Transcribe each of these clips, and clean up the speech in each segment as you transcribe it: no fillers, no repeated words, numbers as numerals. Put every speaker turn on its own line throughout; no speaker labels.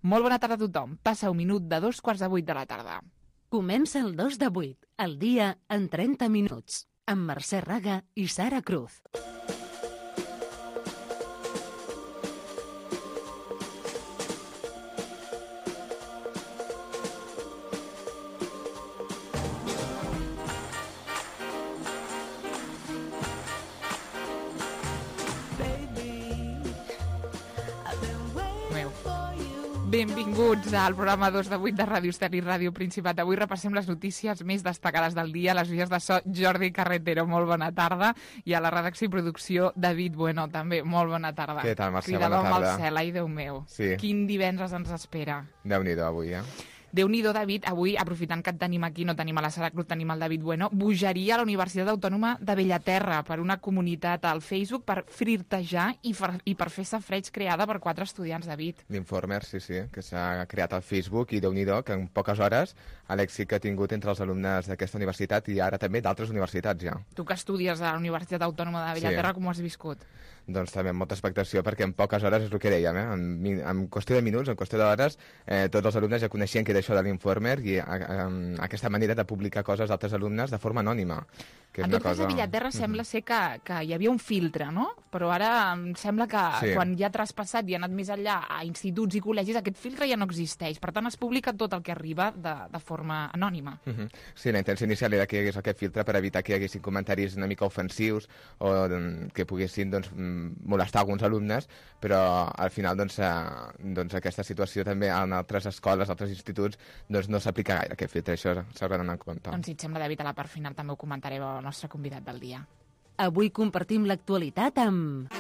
Molt bona tarda a tothom. Passa un minut de 7:45 de la tarda.
Comença el 2 de 8, el dia en 30 minuts, amb Mercè Raga i Sara Cruz.
Benvinguts al programa 2 de 8 de Ràdio Estel i Ràdio Principat. Avui repassem les notícies més destacades del dia. Les vies de so, Jordi Carretero, molt bona tarda. I a la redacció i producció, David Bueno, també, molt bona tarda.
Què tal, Mercè?
Cridàvem
Bona tarda.
al cel, ai, Déu meu.
Sí.
Quin divendres ens espera.
Déu-n'hi-do avui,
Déu-n'hi-do, David. Avui, aprofitant que et tenim aquí, no tenim a la Sara Cruz, tenim el David Bueno, bogeria a la Universitat Autònoma de Bellaterra per una comunitat al Facebook per flirtejar i per fer safreig creada per 4 estudiants, David.
L'Informer, sí, que s'ha creat al Facebook i Déu-n'hi-do, que en poques hores l'èxit que ha tingut entre els alumnes d'aquesta universitat i ara també d'altres universitats ja.
Tu que estudies a la Universitat Autònoma de Bellaterra, com ho has viscut?
Doncs també amb molta expectació, perquè en poques hores és el que dèiem, en qüestió de minuts, en qüestió d'hores, tots els alumnes ja coneixien que era això de l'Informer i aquesta manera de publicar coses d'altres alumnes de forma anònima. Que
en tot cas, a Bellaterra sembla ser que hi havia un filtre, no? Però ara em sembla que quan ja ha traspassat i ha anat més enllà a instituts i col·legis, aquest filtre ja no existeix. Per tant, es publica tot el que arriba de forma anònima.
Sí, la intenció inicial era que hi hagués aquest filtre per evitar que hi haguessin comentaris una mica ofensius o que poguessin molestar alguns alumnes, però al final doncs, aquesta situació també en altres escoles, altres instituts, doncs no s'aplica gaire aquest filtre, això s'ha d'anar en compte.
Doncs si et sembla, David, a la part final també ho comentarem al nostre convidat del dia.
Avui compartim l'actualitat amb...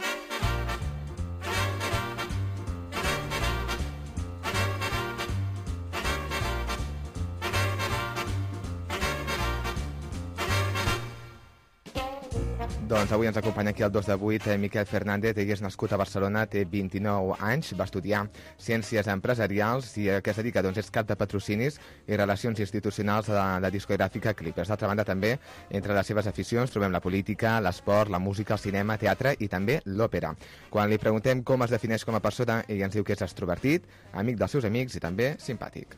Doncs avui ens acompanya aquí el 2 de 8 Miquel Fernández. Ell és nascut a Barcelona, té 29 anys, va estudiar Ciències Empresarials i a què es dedica? Doncs és cap de patrocinis i relacions institucionals de la discogràfica Clippers. D'altra banda, també, entre les seves aficions trobem la política, l'esport, la música, el cinema, teatre i també l'òpera. Quan li preguntem com es defineix com a persona, ell ens diu que és extrovertit, amic dels seus amics i també simpàtic.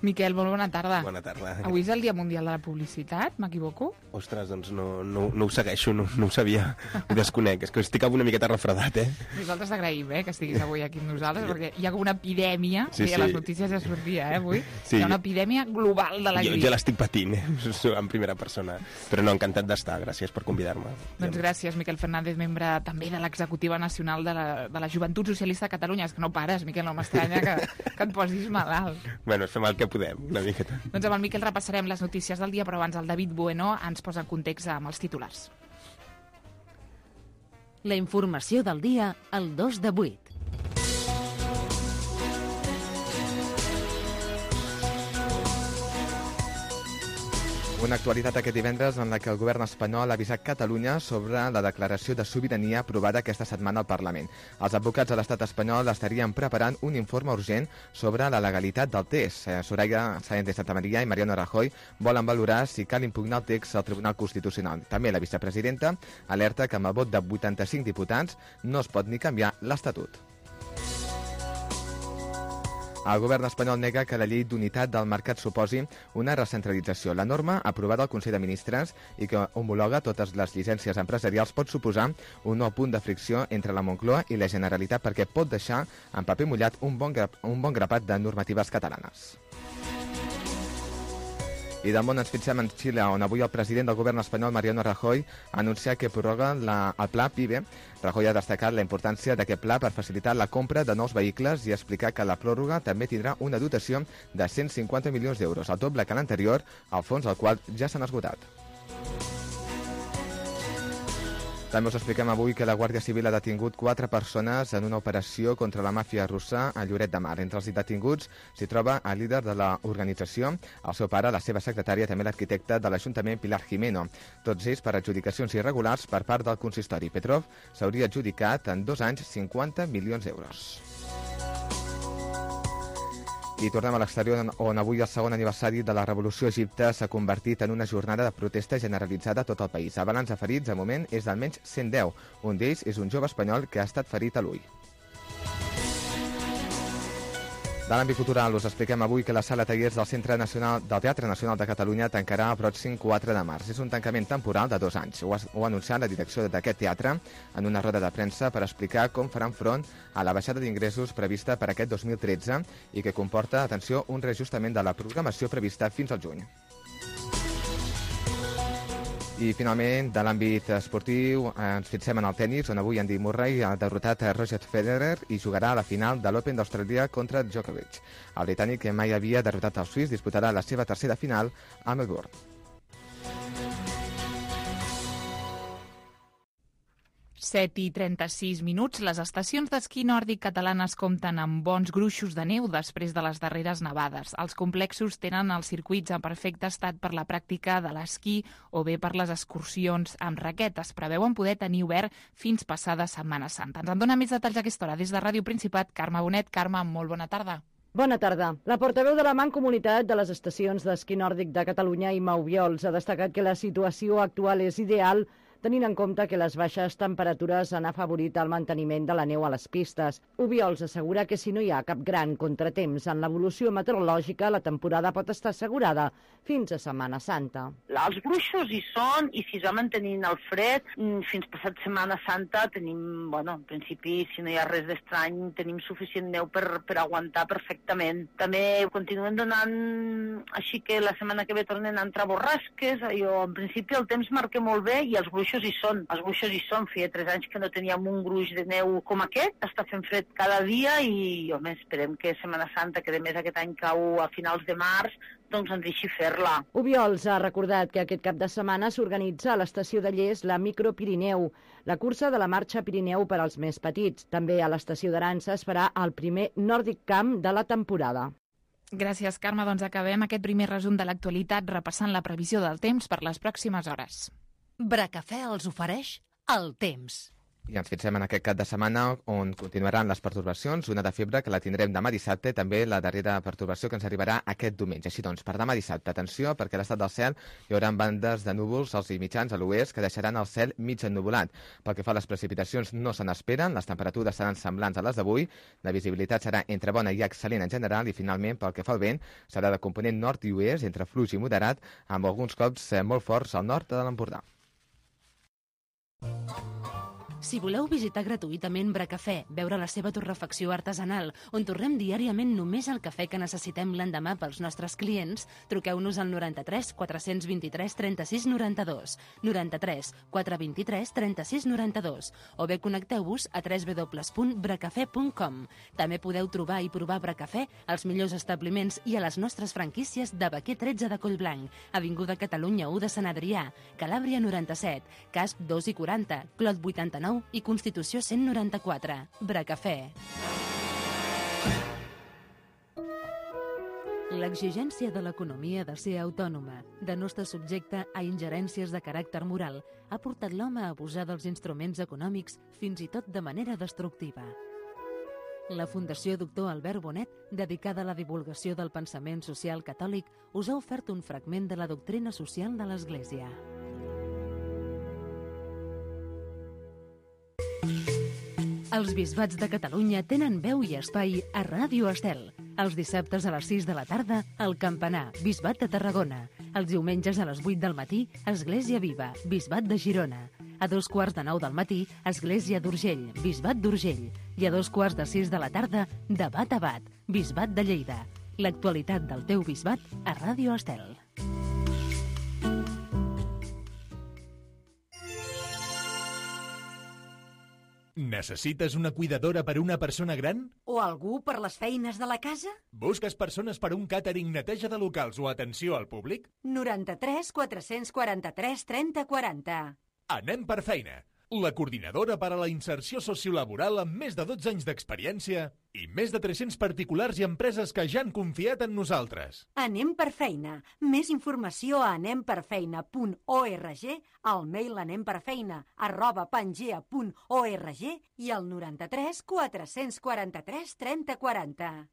Miquel, molt bona tarda.
Bona tarda.
Avui és el Dia Mundial de la Publicitat, m'equivoco?
Ostres, doncs no ho segueixo, no ho sabia, ho desconec. És que estic avui una miqueta refredat,
Nosaltres agraïm, que estiguis avui aquí amb nosaltres, perquè hi ha com una epidèmia,
sí.
A les notícies ja sortia, avui,
sí.
Hi ha una epidèmia global de la grip.
Jo l'estic patint, en primera persona, però no, encantat d'estar, gràcies per convidar-me.
Doncs gràcies, Miquel Fernández, membre també de l'Executiva Nacional de la Joventut Socialista de Catalunya. És que no pares, Miquel, no m'estranya que et posis malalt.
Bueno, fem el que podem, una miqueta.
Doncs amb el Miquel repassarem les notícies del dia, però abans el David Bueno ens posa en context amb els titulars.
La informació del dia al 2 de 8.
Una actualitat aquest divendres en la que el govern espanyol ha avisat Catalunya sobre la declaració de sobirania aprovada aquesta setmana al Parlament. Els advocats de l'estat espanyol estarien preparant un informe urgent sobre la legalitat del text. Soraya Sáenz de Santamaría i Mariano Rajoy volen valorar si cal impugnar el text al Tribunal Constitucional. També la vicepresidenta alerta que amb el vot de 85 diputats no es pot ni canviar l'Estatut. El govern espanyol nega que la llei d'unitat del mercat suposi una recentralització. La norma, aprovada al Consell de Ministres i que homologa totes les llicències empresarials, pot suposar un nou punt de fricció entre la Moncloa i la Generalitat perquè pot deixar en paper mullat un bon grapat de normatives catalanes. I del món ens fixem en Xile, on avui el president del govern espanyol, Mariano Rajoy, ha anunciat que prorroga el pla PIBE. Rajoy ha destacat la importància d'aquest pla per facilitar la compra de nous vehicles i explicar que la pròrroga també tindrà una dotació de 150 milions d'euros, el doble que l'anterior, al fons del qual ja s'han esgotat. També us expliquem avui que la Guàrdia Civil ha detingut 4 persones en una operació contra la màfia russa a Lloret de Mar. Entre els detinguts s'hi troba el líder de l'organització, el seu pare, la seva secretària, també l'arquitecte de l'Ajuntament, Pilar Jimeno. Tots ells per adjudicacions irregulars per part del consistori. Petrov s'hauria adjudicat en 2 anys 50 milions d'euros. I tornem a l'exterior, on avui el segon aniversari de la Revolució a Egipte s'ha convertit en una jornada de protesta generalitzada a tot el país. El balanç de ferits, de moment, és d'almenys 110. Un d'ells és un jove espanyol que ha estat ferit a l'ull. De l'àmbit cultural us expliquem avui que la sala tallers del Teatre Nacional de Catalunya tancarà el pròxim 4 de març. És un tancament temporal de 2 anys. Ho ha anunciat la direcció d'aquest teatre en una roda de premsa per explicar com faran front a la baixada d'ingressos prevista per aquest 2013 i que comporta, atenció, un reajustament de la programació prevista fins al juny. I finalment, de l'àmbit esportiu, ens fixem en el tennis, on avui Andy Murray ha derrotat a Roger Federer i jugarà a la final de l'Open d'Austràlia contra Djokovic. El britànic, que mai havia derrotat el suís, disputarà la seva tercera final a Melbourne.
Set i 36 minuts. Les estacions d'esquí nòrdic catalanes compten amb bons gruixos de neu després de les darreres nevades. Els complexos tenen els circuits en perfecte estat per la pràctica de l'esquí o bé per les excursions amb raquetes. Preveuen poder tenir obert fins passada Setmana Santa. Ens en dona més detalls a aquesta hora des de Ràdio Principat. Carme Bonet. Carme, molt bona tarda.
Bona tarda. La portaveu de la Mancomunitat de les estacions d'esquí nòrdic de Catalunya, Imma Obiols, ha destacat que la situació actual és ideal tenint en compte que les baixes temperatures han afavorit el manteniment de la neu a les pistes. Obiols assegura que si no hi ha cap gran contratemps en l'evolució meteorològica, la temporada pot estar assegurada fins a Setmana Santa.
Els gruixos hi són i si es va mantenint el fred, fins passat Setmana Santa tenim, en principi, si no hi ha res d'estrany, tenim suficient neu per aguantar perfectament. També continuen donant, així que la setmana que ve tornen a entrar borrasques, en principi el temps marca molt bé i els gruixos hi són. Els gruixos hi són. Feia 3 anys que no teníem un gruix de neu com aquest. Està fent fred cada dia i, esperem que Setmana Santa, que a més aquest any cau a finals de març, doncs ens deixi fer-la.
Obiols ha recordat que aquest cap de setmana s'organitza a l'estació de Lles la Micropirineu, la cursa de la marxa Pirineu per als més petits. També a l'estació d'Arança es farà el primer Nordic Camp de la temporada.
Gràcies, Carme. Doncs acabem aquest primer resum de l'actualitat repassant la previsió del temps per les pròximes hores.
Bracafè els ofereix el temps.
I ens fixem en aquest cap de setmana on continuaran les pertorbacions, una de febre que la tindrem demà dissabte, també la darrera pertorbació que ens arribarà aquest diumenge. Així doncs, per demà dissabte, atenció, perquè a l'estat del cel hi haurà bandes de núvols als i mitjans a l'oest que deixaran el cel mig ennuvolat. Pel que fa a les precipitacions no se n'esperen, les temperatures seran semblants a les d'avui, la visibilitat serà entre bona i excel·lent en general i finalment, pel que fa al vent, serà de component nord i oest, entre fluix i moderat, amb alguns cops molt forts al nord de l'Empordà.
Si voleu visitar gratuïtament Bracafè, veure la seva torrefacció artesanal, on torrem diàriament només el cafè que necessitem l'endemà pels nostres clients, truqueu-nos al 93 423 36 92, 93 423 36 92, o bé connecteu-vos a www.bracafè.com. També podeu trobar i provar Bracafè als millors establiments i a les nostres franquícies de Baquer 13 de Collblanc, Avinguda Catalunya 1 de Sant Adrià, Calàbria 97, Casp 2 i 40, Clot 89 i Constitució 194. Bracafè. L'exigència de l'economia de ser autònoma, de no estar subjecte a ingerències de caràcter moral, ha portat l'home a abusar dels instruments econòmics fins i tot de manera destructiva. La Fundació Doctor Albert Bonet, dedicada a la divulgació del pensament social catòlic, us ha ofert un fragment de la doctrina social de l'Església. Els bisbats de Catalunya tenen veu i espai a Ràdio Estel. Els dissabtes a les 6 de la tarda, al Campanar, Bisbat de Tarragona. Els diumenges a les 8 del matí, Església Viva, Bisbat de Girona. A 2:45 del matí, Església d'Urgell, Bisbat d'Urgell. I a 2:45 de la tarda, Debat a Bat, Bisbat de Lleida. L'actualitat del teu bisbat a Ràdio Estel.
Necessites una cuidadora per una persona gran?
O algú per les feines de la casa?
Busques persones per un càtering, neteja de locals o atenció al públic?
93 443 30 40.
Anem per feina. La coordinadora per a la inserció sociolaboral amb més de 12 anys d'experiència i més de 300 particulars i empreses que ja han confiat en nosaltres.
Anem per feina. Més informació a anemperfeina.org, al mail anemperfeina@pangea.org i al 93 443 30 40.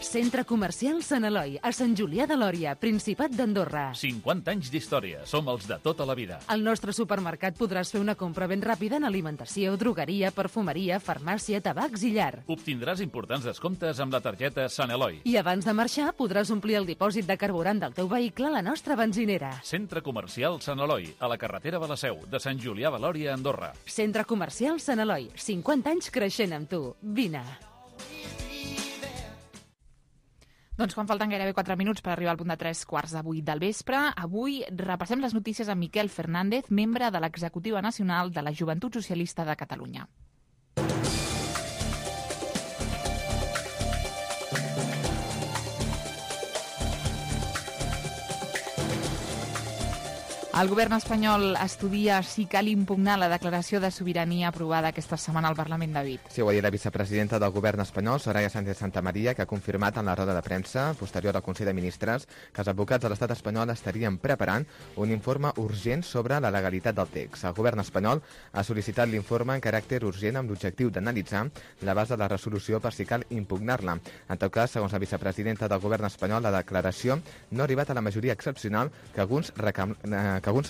Centre Comercial Sant Eloi, a Sant Julià de Lòria, Principat d'Andorra.
50 anys d'història. Som els de tota la vida.
Al nostre supermercat podràs fer una compra ben ràpida en alimentació, drogueria, perfumeria, farmàcia, tabacs i llar.
Obtindràs importants descomptes amb la targeta Sant Eloi.
I abans de marxar podràs omplir el dipòsit de carburant del teu vehicle a la nostra benzinera.
Centre Comercial Sant Eloi, a la carretera de la Seu, de Sant Julià de Lòria, Andorra.
Centre Comercial Sant Eloi, 50 anys creixent amb tu. Vine.
Doncs quan falten gairebé 4 minuts per arribar al punt de 3:15 del vespre, avui repassem les notícies amb Miquel Fernández, membre de l'Executiva Nacional de la Joventut Socialista de Catalunya. El govern espanyol estudia si cal impugnar la declaració de sobirania aprovada aquesta setmana al Parlament de Vic.
Sí, ho ha dit la vicepresidenta del govern espanyol, Soraya Sánchez Santamaría, que ha confirmat en la roda de premsa posterior al Consell de Ministres que els advocats de l'estat espanyol estarien preparant un informe urgent sobre la legalitat del text. El govern espanyol ha sol·licitat l'informe en caràcter urgent amb l'objectiu d'analitzar la base de la resolució per si cal impugnar-la. En tot cas, segons la vicepresidenta del govern espanyol, la declaració no ha arribat a la majoria excepcional que alguns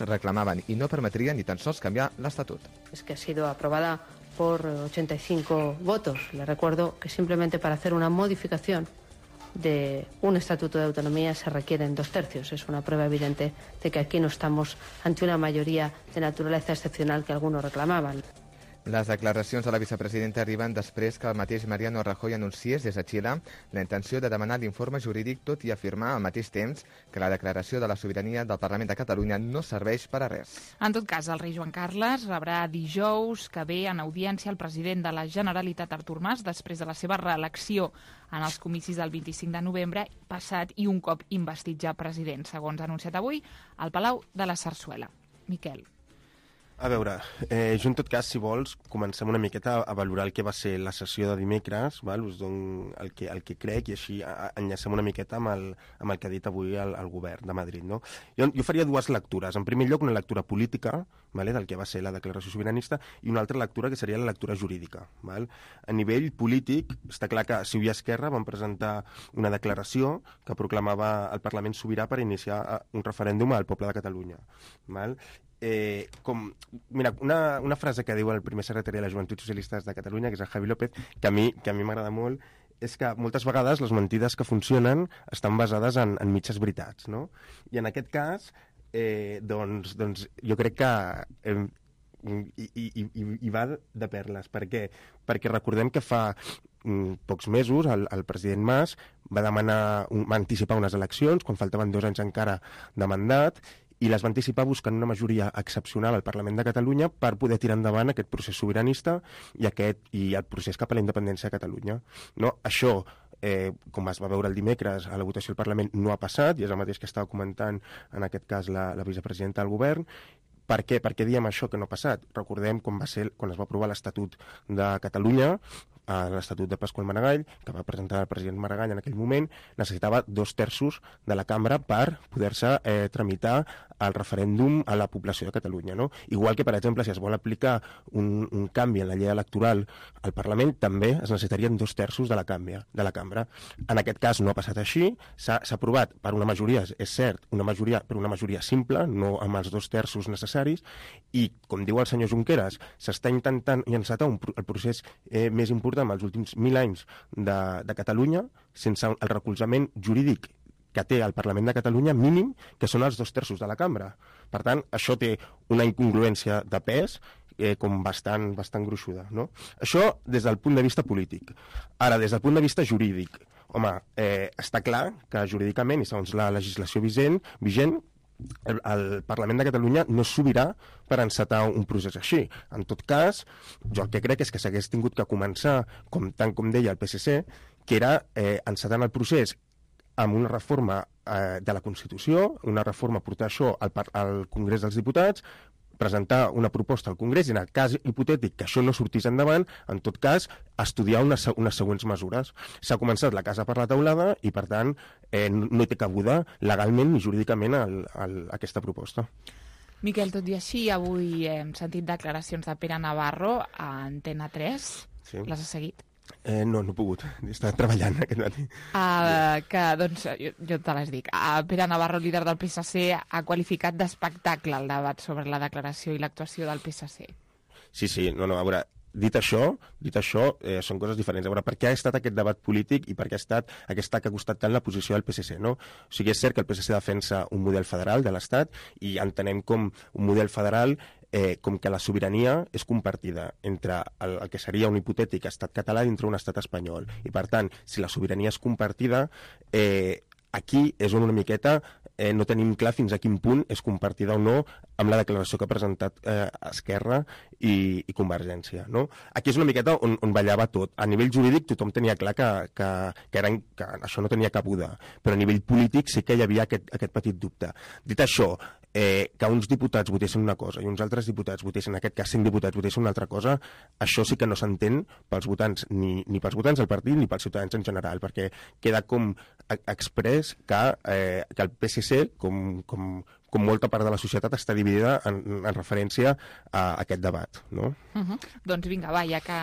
reclamaban y no permitirían ni tan sols cambiar l'Estatut.
Es que ha sido aprobada por 85 votos. Le recuerdo que simplemente para hacer una modificación de un estatuto de autonomía se requieren 2/3. Es una prueba evidente de que aquí no estamos ante una mayoría de naturaleza excepcional que algunos reclamaban.
Les declaracions de la vicepresidenta arriben després que el mateix Mariano Rajoy anunciés des de Xile la intenció de demanar l'informe jurídic, tot i afirmar al mateix temps que la declaració de la sobirania del Parlament de Catalunya no serveix per a res.
En tot cas, el rei Joan Carles rebrà dijous que ve en audiència el president de la Generalitat, Artur Mas, després de la seva reelecció en els comicis del 25 de novembre passat i un cop investit ja president, segons ha anunciat avui al Palau de la Sarsuela. Miquel.
A veure, jo en tot cas, si vols, comencem una miqueta a valorar el que va ser la sessió de dimecres, val? Us dono el que crec i així enllacem una miqueta amb el que ha dit avui el govern de Madrid. No? Jo faria dues lectures. En primer lloc, una lectura política, vale? Del que va ser la declaració sobiranista, i una altra lectura que seria la lectura jurídica. Val? A nivell polític, està clar que CiU i Esquerra van presentar una declaració que proclamava el Parlament sobirà per iniciar un referèndum al poble de Catalunya. Val? Mira, una frase que diu el primer secretari de la Joventut Socialista de Catalunya, que és el Javi López, que a mi m'agrada molt, és que moltes vegades les mentides que funcionen estan basades en mitges veritats, no? I en aquest cas, doncs jo crec que hi va de perles. Per què? Perquè recordem que fa pocs mesos el president Mas va anticipar unes eleccions quan faltaven 2 anys encara de mandat, i les va anticipar buscant una majoria excepcional al Parlament de Catalunya per poder tirar endavant aquest procés sobiranista i el procés cap a la independència de Catalunya. No? Això, com es va veure el dimecres a la votació del Parlament, no ha passat, i és el mateix que estava comentant en aquest cas la vicepresidenta del govern. Per què? Per què diem això que no ha passat? Recordem quan es va aprovar l'Estatut de Catalunya, l'Estatut de Pasqual Maragall, que va presentar el president Maragall en aquell moment, necessitava 2/3 de la cambra per poder-se tramitar el referèndum a la població de Catalunya. No? Igual que, per exemple, si es vol aplicar un canvi en la llei electoral al Parlament, també es necessitarien 2/3 de la cambra. En aquest cas no ha passat així, s'ha aprovat per una majoria, és cert, per una majoria simple, no amb els 2/3 necessaris, i, com diu el senyor Junqueras, s'està intentant encetar el procés més important amb els últims 1000 anys de Catalunya, sense el recolzament jurídic que té el Parlament de Catalunya mínim, que són els 2/3 de la cambra. Per tant, això té una incongruència de pes com bastant gruixuda. No? Això des del punt de vista polític. Ara, des del punt de vista jurídic, home, està clar que jurídicament, i segons la legislació vigent, el Parlament de Catalunya no és sobirà per encetar un procés així. En tot cas, jo el que crec és que s'hagués tingut que començar, tant com deia el PSC, que era encetant el procés amb una reforma de la Constitució, una reforma, portar això al Congrés dels Diputats, presentar una proposta al Congrés i, en el cas hipotètic que això no sortís endavant, en tot cas, estudiar unes següents mesures. S'ha començat la casa per la teulada i, per tant, no hi té cabuda legalment ni jurídicament aquesta proposta.
Miquel, tot i així, avui hem sentit declaracions de Pere Navarro a Antena 3.
Sí.
Les has seguit?
No he pogut. He estat treballant aquest matí.
Doncs jo te les dic. Pere Navarro, líder del PSC, ha qualificat d'espectacle el debat sobre la declaració i l'actuació del PSC.
Sí, no, a veure, dit això, són coses diferents. A veure, per què ha estat aquest debat polític i per què ha estat aquesta que ha costat tant la posició del PSC, no? O sigui, és cert que el PSC defensa un model federal de l'Estat i entenem com un model federal com que la sobirania és compartida entre el que seria un hipotètic estat català dintre un estat espanyol. I, per tant, si la sobirania és compartida, aquí és on una miqueta no tenim clar fins a quin punt és compartida o no amb la declaració que ha presentat Esquerra i Convergència. No? Aquí és una miqueta on ballava tot. A nivell jurídic tothom tenia clar que això no tenia cabuda, però a nivell polític sí que hi havia aquest petit dubte. Dit això, que uns diputats votessin una cosa i uns altres diputats votessin, en aquest cas 5 diputats votessin una altra cosa, això sí que no s'entén pels votants, ni pels votants del partit ni pels ciutadans en general, perquè queda com exprés que el PSC, com molta part de la societat, està dividida en referència a aquest debat, no?
Doncs vinga, va, ja que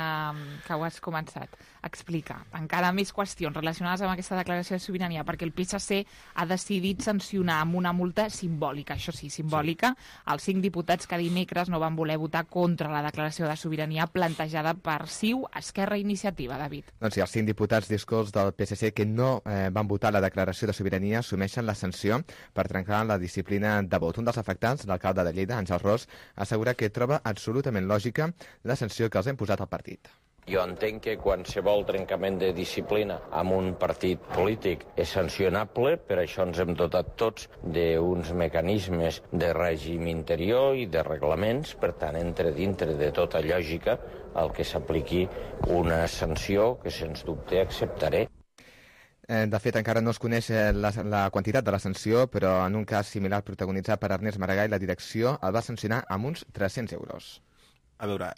ho has començat, explica encara més qüestions relacionades amb aquesta declaració de sobirania, perquè el PSC ha decidit sancionar amb una multa simbòlica, això sí, simbòlica, els 5 diputats que dimecres no van voler votar contra la declaració de sobirania plantejada per CiU, Esquerra i Iniciativa, David.
Doncs sí, els 5 diputats discols del PSC que no van votar la declaració de sobirania assumeixen la sanció per trencar la disciplina de vot. Un dels afectats, l'alcalde de Lleida, Àngel Ros, assegura que troba absolutament lògica la sanció que els ha imposat el partit.
Jo entenc que qualsevol trencament de disciplina amb un partit polític és sancionable, per això ens hem dotat tots d'uns mecanismes de règim interior i de reglaments, per tant, dintre de tota lògica, el que s'apliqui una sanció que, sens dubte, acceptaré.
De fet, encara no es coneix la quantitat de la sanció, però en un cas similar protagonitzat per Ernest Maragall, la direcció el va sancionar amb uns 300 euros.
A veure,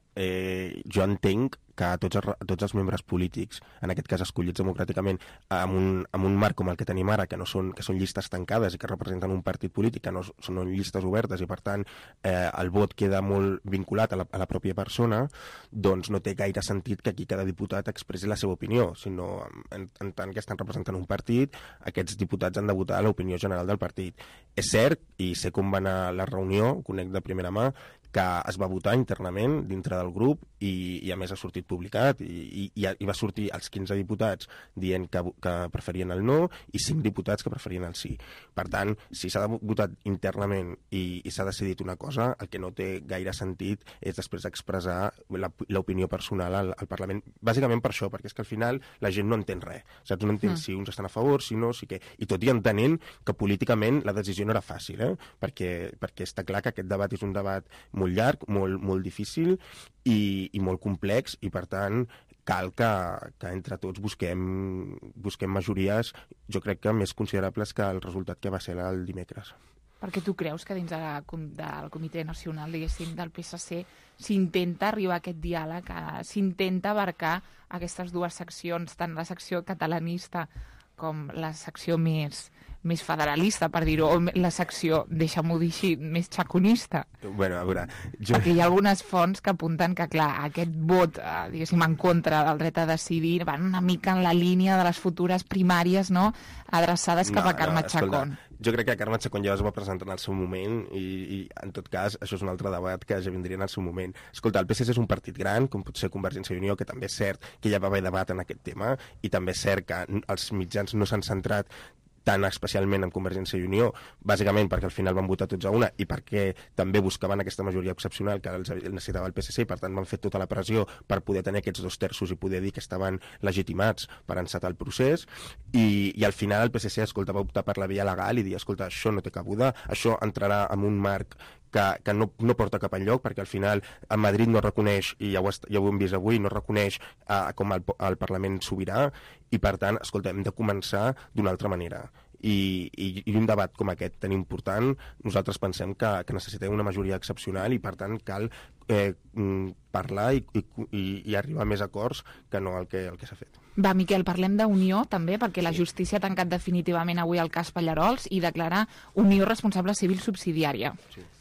jo entenc que tots els membres polítics, en aquest cas escollits democràticament, amb un marc com el que tenim ara, que són llistes tancades i que representen un partit polític, que no són llistes obertes i, per tant, el vot queda molt vinculat a la pròpia persona, doncs no té gaire sentit que aquí cada diputat expressi la seva opinió, sinó en tant que estan representant un partit, aquests diputats han de votar l'opinió general del partit. És cert, i sé com va anar la reunió, conec de primera mà, que es va votar internament dintre del grup i a més ha sortit publicat i va sortir els 15 diputats dient que preferien el no i 5 diputats que preferien el sí. Per tant, si s'ha votat internament i s'ha decidit una cosa, el que no té gaire sentit és després expressar l'opinió personal al Parlament. Bàsicament per això, perquè és que al final la gent no entén res. Saps? No entén si uns estan a favor, si no, si què. I tot i entenent que políticament la decisió no era fàcil, perquè està clar que aquest debat és un debat molt llarg, molt difícil i molt complex, i per tant cal que entre tots busquem majories, jo crec que més considerables que el resultat que va ser el dimecres.
Perquè tu creus que dins del Comitè Nacional, diguéssim, del PSC s'intenta arribar a aquest diàleg, s'intenta abarcar aquestes dues seccions, tant la secció catalanista com la secció més federalista, per dir-ho, o la secció, deixa'm-ho dir així, més xaconista.
Bueno, a veure...
Perquè hi ha algunes fonts que apunten que, clar, aquest vot, diguéssim, en contra del dret a decidir, van una mica en la línia de les futures primàries, no?, adreçades cap a Carme Chacón.
Jo crec que Carme Chacón ja es va presentar en el seu moment i en tot cas, això és un altre debat que ja vindria en el seu moment. Escolta, el PSC és un partit gran, com pot ser Convergència i Unió, que també és cert que ja va haver debat en aquest tema, i també és cert que els mitjans no s'han centrat tan especialment en Convergència i Unió, bàsicament perquè al final van votar tots a una i perquè també buscaven aquesta majoria excepcional que els necessitava el PSC, i per tant van fer tota la pressió per poder tenir aquests 2 terços i poder dir que estaven legitimats per encetar el procés, i al final el PSC, escolta, va optar per la via legal i dir, escolta, això no té cabuda, això entrarà en un marc que no porta cap enlloc, perquè al final a Madrid no reconeix, i ja ho hem vist avui, no reconeix com el Parlament sobirà, i per tant, escolta, hem de començar d'una altra manera. I un debat com aquest tan important, nosaltres pensem que necessitem una majoria excepcional i per tant cal parlar i arribar a més acords que no el que s'ha fet.
Va, Miquel, parlem d'Unió també, perquè la justícia ha tancat definitivament avui el cas Pallarols i declara Unió responsable civil subsidiària.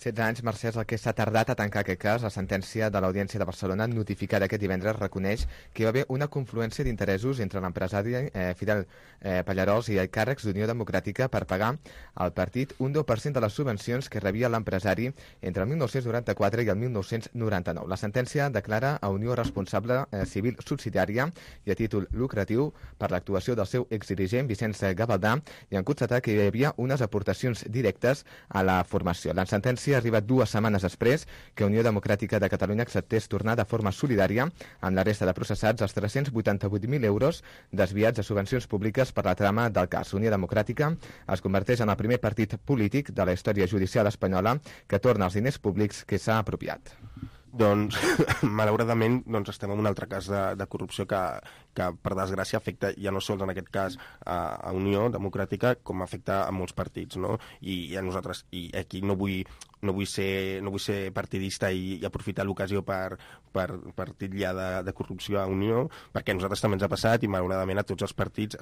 16 anys, Mercè, és el que s'ha tardat a tancar aquest cas. La sentència de l'Audiència de Barcelona, notificada aquest divendres, reconeix que hi va haver una confluència d'interessos entre l'empresari Fidel Pallarols i càrrecs d'Unió Democràtica per pagar al partit un 10% de les subvencions que rebia l'empresari entre el 1994 i el 1999. La sentència declara a Unió responsable civil subsidiària i a títol lucratiu per l'actuació del seu exdirigent Vicenç Gavaldà i en constatar que hi havia unes aportacions directes a la formació. La sentència ha arribat 2 setmanes després que Unió Democràtica de Catalunya acceptés tornar de forma solidària amb la resta de processats els 388.000 euros desviats a subvencions públiques per la trama del cas. Unió Democràtica es converteix en el primer partit polític de la història judicial espanyola que torna els diners públics que s'ha apropiat.
Doncs, malauradament, estem en un altre cas de corrupció que per desgràcia, afecta ja no sols en aquest cas a Unió Democràtica, com afecta a molts partits, no? I a nosaltres, i aquí no vull ser partidista i aprofitar l'ocasió per titllar de corrupció a Unió, perquè a nosaltres també ens ha passat i malauradament a tots els partits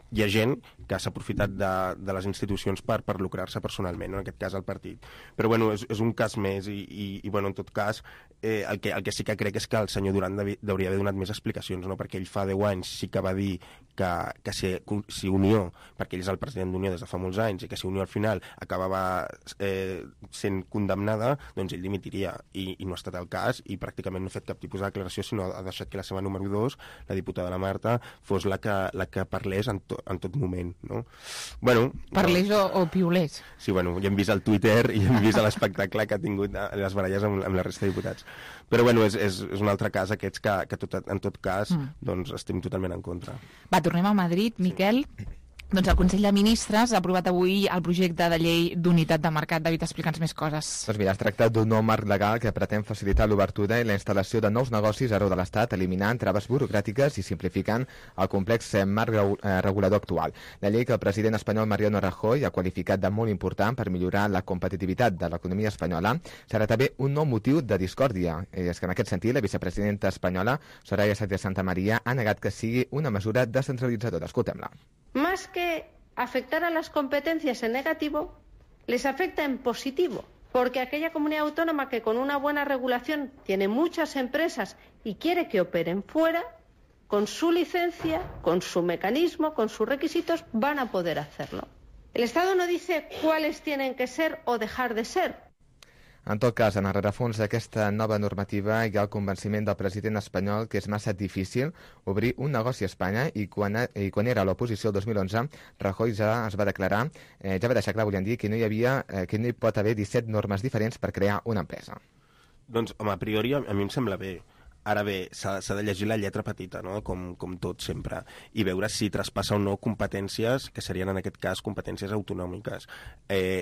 hi ha gent que s'ha aprofitat de les institucions per lucrar-se personalment, no? En aquest cas el partit. Però bueno, és un cas més i bueno, en tot cas el que sí que crec és que el senyor Duran hauria d'haver donat més explicacions, no? Perquè ell fa 10 anys sí que va dir que si Unió, perquè ell és el president d'Unió des de fa molts anys, i que si Unió al final acabava sent condemnada, doncs ell dimitiria, i no ha estat el cas, i pràcticament no ha fet cap tipus de declaració, sinó ha deixat que la seva número 2, la diputada la Marta, fos la que parlés en tot moment, no? Bueno,
parlés o piulés.
Sí, bueno, ja hem vist el Twitter i hem vist l'espectacle que ha tingut les baralles amb la resta de diputats. Però bueno, és un altre cas aquests que en tot cas doncs estem totalment en contra.
Va, tornem a Madrid, Miquel. Doncs el Consell de Ministres ha aprovat avui el projecte de llei d'unitat de mercat. David, explica'ns més coses.
Doncs mira, es tracta d'un nou marc legal que pretén facilitar l'obertura i la instal·lació de nous negocis arreu de l'Estat, eliminant traves burocràtiques i simplificant el complex marc regulador actual. La llei que el president espanyol Mariano Rajoy ha qualificat de molt important per millorar la competitivitat de l'economia espanyola serà també un nou motiu de discòrdia. És que en aquest sentit la vicepresidenta espanyola, Soraya Sáenz de Santamaría, ha negat que sigui una mesura descentralitzadora. Escoltem-la.
Más que afectar a las competencias en negativo, les afecta en positivo, porque aquella comunidad autónoma que con una buena regulación tiene muchas empresas y quiere que operen fuera, con su licencia, con su mecanismo, con sus requisitos, van a poder hacerlo. El Estado no dice cuáles tienen que ser o dejar de ser.
En tot cas, en el rerefons d'aquesta nova normativa hi ha el convenciment del president espanyol que és massa difícil obrir un negoci a Espanya i quan era a l'oposició el 2011, Rajoy ja va deixar clar, volien dir, que no hi pot haver 17 normes diferents per crear una empresa.
Doncs, home, a priori a mi em sembla bé. Ara bé, s'ha de llegir la lletra petita, no? Com tot sempre, i veure si traspassa o no competències, que serien en aquest cas competències autonòmiques.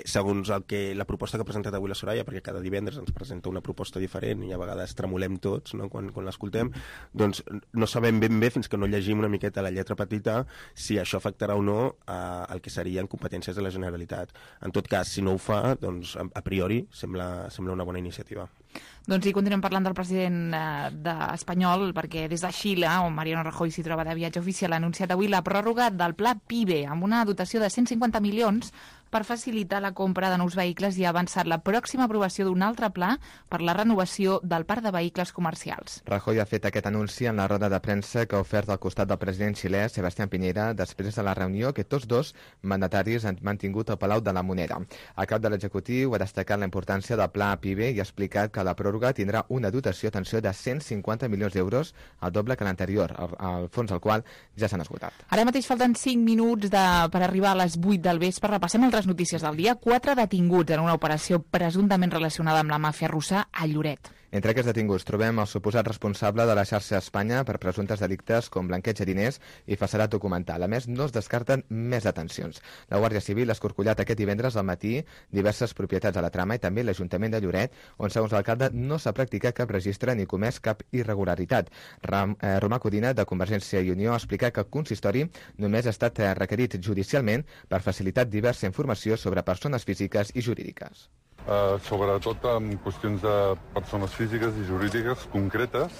Segons la proposta que ha presentat avui la Soraya, perquè cada divendres ens presenta una proposta diferent i a vegades tremolem tots, no? Quan l'escoltem, doncs no sabem ben bé, fins que no llegim una miqueta la lletra petita, si això afectarà o no el que serien competències de la Generalitat. En tot cas, si no ho fa, doncs a priori sembla una bona iniciativa.
Doncs continuem parlant del president espanyol, perquè des de Xile, on Mariano Rajoy s'hi troba de viatge oficial, ha anunciat avui la pròrroga del pla PIBE, amb una dotació de 150 milions per facilitar la compra de nous vehicles i ha avançat la pròxima aprovació d'un altre pla per la renovació del parc de vehicles comercials.
Rajoy ha fet aquest anunci en la roda de premsa que ha ofert al costat del president xilè, Sebastián Piñera, després de la reunió que tots dos mandataris han mantingut al Palau de la Moneda. El cap de l'executiu ha destacat la importància del pla PIBE i ha explicat que la pròrroga tindrà una dotació, atenció, de 150 milions d'euros, el doble que l'anterior, el fons al qual ja s'han esgotat.
Ara mateix falten 5 minuts per arribar a les 8 del vespre. Repassem altres notícies del dia. 4 detinguts en una operació presumptament relacionada amb la màfia russa a Lloret.
Entre aquests detinguts trobem el suposat responsable de la xarxa a Espanya per presumptes delictes com blanqueig de diners i falsedat documental. A més, no es descarten més detencions. La Guàrdia Civil ha escorcollat aquest divendres al matí diverses propietats a la trama i també l'Ajuntament de Lloret, on, segons l'alcalde, no s'ha practicat cap registre ni comès cap irregularitat. Romà Codina, de Convergència i Unió, ha explicat que el consistori només ha estat requerit judicialment per facilitar diversa informació sobre persones físiques i jurídiques.
sobretot en qüestions de persones físiques i jurídiques concretes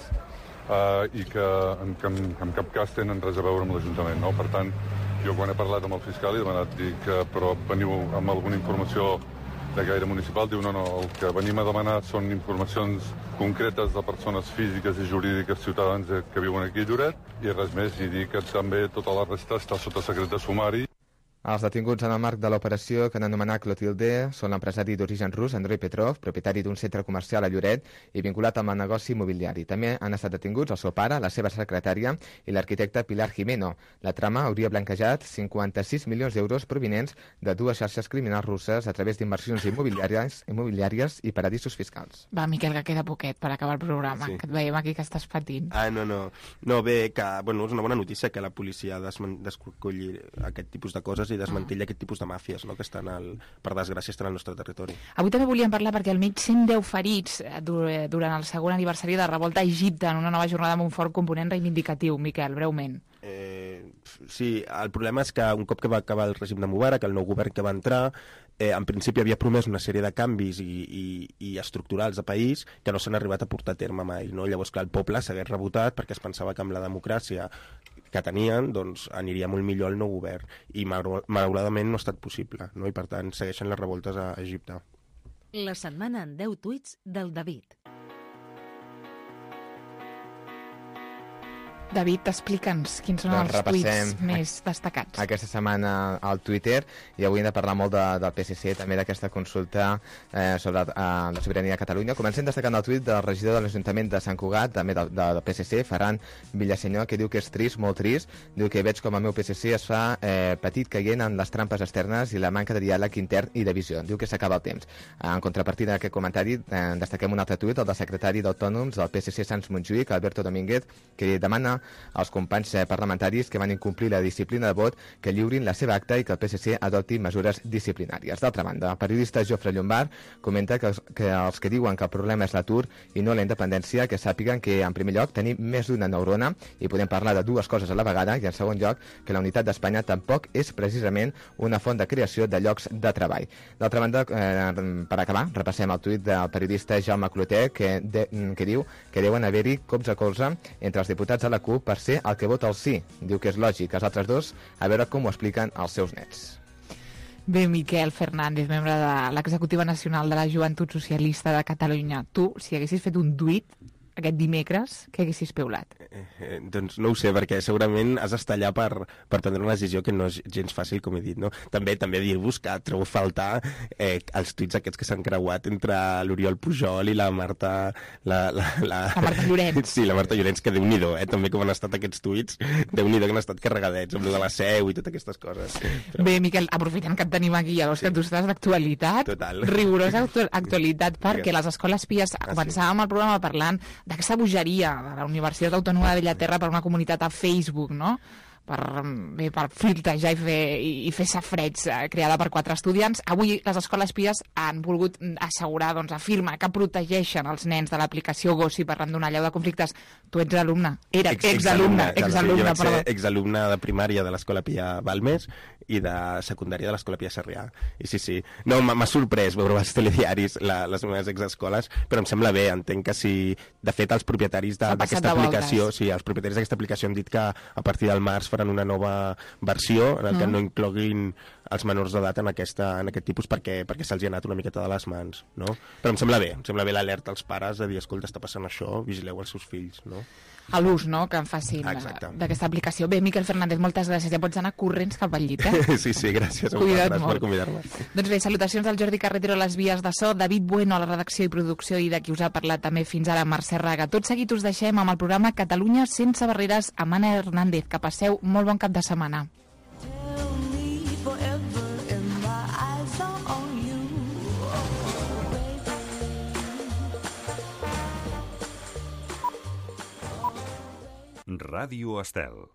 i que en cap cas tenen res a veure amb l'Ajuntament, no? Per tant, jo quan he parlat amb el fiscal he demanat, però veniu amb alguna informació de gaire municipal, diu no, el que venim a demanar són informacions concretes de persones físiques i jurídiques ciutadans que viuen aquí a Lloret i res més, i dir que també tota la resta està sota secret de sumari.
Els detinguts en el marc de l'operació que han anomenat Clotilde són l'empresari d'origen rus Andrei Petrov, propietari d'un centre comercial a Lloret i vinculat amb el negoci immobiliari. També han estat detinguts el seu pare, la seva secretària i l'arquitecte Pilar Jimeno. La trama hauria blanquejat 56 milions d'euros provinents de dues xarxes criminals russes a través d'inversions immobiliàries i paradisos fiscals.
Va, Miquel, que queda poquet per acabar el programa, que et veiem aquí que estàs patint.
No, bé, que és una bona notícia que la policia descolli aquest tipus de coses i desmantella aquest tipus de màfies, no?, que estan, per desgràcia, estan al nostre territori.
Avui també volíem parlar perquè almenys 110 ferits durant el segon aniversari de la revolta a Egipte en una nova jornada amb un fort component reivindicatiu. Miquel, breument.
Sí, el problema és que un cop que va acabar el règim de Mubarak, el nou govern que va entrar, en principi havia promès una sèrie de canvis i estructurals de país que no s'han arribat a portar a terme mai, no? Llavors, clar, el poble s'hagués rebotat perquè es pensava que amb la democràcia que tenien, doncs aniria molt millor el nou govern, i malauradament no ha estat possible, no? I per tant segueixen les revoltes a Egipte.
La setmana en 10 tuits del David.
David, explica'ns quins són els tuits més destacats.
Aquesta setmana al Twitter, i avui hem de parlar molt del PSC, també d'aquesta consulta sobre la sobirania de Catalunya. Comencem destacant el tuit del regidor de l'Ajuntament de Sant Cugat, també del PSC, Ferran Villasenyor, que diu que és trist, molt trist. Diu que veig com el meu PSC es fa petit caient en les trampes externes i la manca de diàleg intern i de visió. Diu que s'acaba el temps. En contrapartida d'aquest comentari, destaquem un altre tuit, el del secretari d'Autònoms del PSC Sants Montjuïc, Alberto Domínguez, que demana als companys parlamentaris que van incomplir la disciplina de vot que lliurin la seva acta i que el PSC adopti mesures disciplinàries. D'altra banda, el periodista Jofre Llombard comenta que els que diuen que el problema és l'atur i no la independència, que sàpiguen que, en primer lloc, tenim més d'una neurona i podem parlar de dues coses a la vegada, i, en segon lloc, que la unitat d'Espanya tampoc és precisament una font de creació de llocs de treball. D'altra banda, per acabar, repassem el tuit del periodista Jaume Clotet, que diu que deuen haver-hi cops a colze entre els diputats de la CUP per ser el que vota el sí. Diu que és lògic, els altres dos, a veure com ho expliquen els seus nets.
Bé, Miquel Fernández, membre de l'Executiva Nacional de la Joventut Socialista de Catalunya. Tu, si haguessis fet un tuit aquest dimecres, què haguessis piulat?
Doncs no ho sé, perquè segurament has d'estar allà per prendre una decisió que no és gens fàcil, com he dit, no? També dir-vos que trobo a faltar els tuits aquests que s'han creuat entre l'Oriol Pujol i la Marta... La
Marta Llorenç.
Sí, la Marta Llorenç, que Déu-n'hi-do, també com han estat aquests tuits, Déu-n'hi-do que han estat carregadets, amb lo de la Seu i totes aquestes coses.
Bé, Miquel, aprofitant que et tenim aquí, llavors que tu estàs d'actualitat, rigorosa actualitat, perquè les escoles pies, començàvem el programa parlant d'aquesta bogeria de la Universitat Autònoma de Bellaterra per una comunitat a Facebook, no?, per filtrejar i fer safreig creada per 4 estudiants. Avui les escoles pies han volgut assegurar, afirmar que protegeixen els nens de l'aplicació Gossip arran d'una allau de conflictes. Tu ets alumne. Exalumne,
jo vaig ser exalumne de primària de l'Escola Pia Balmes i de secundària de l'Escola Pia Sarrià. I sí. No, m'ha sorprès veure als telediaris les meves exescoles, però em sembla bé, entenc que si... De fet, els propietaris d'aquesta aplicació, els propietaris d'aquesta aplicació han dit que a partir del març faran una nova versió en què no incloguin els menors d'edat en aquest tipus perquè se'ls ha anat una miqueta de les mans, no? Però em sembla bé l'alerta als pares de dir, escolta, està passant això, vigileu els seus fills, no?
A l'ús, no?, que en facin d'aquesta aplicació. Bé, Miquel Fernández, moltes gràcies. Ja pots anar corrents cap al llit,
Sí, gràcies.
Cuida't molt.
Per convidar-me.
Doncs bé, salutacions al Jordi Carretero a les vies de so, David Bueno a la redacció i producció i de qui us ha parlat també fins ara, Mercè Raga. Tot seguit us deixem amb el programa Catalunya sense barreres amb Anna Hernández. Que passeu molt bon cap de setmana.
Ràdio Estel.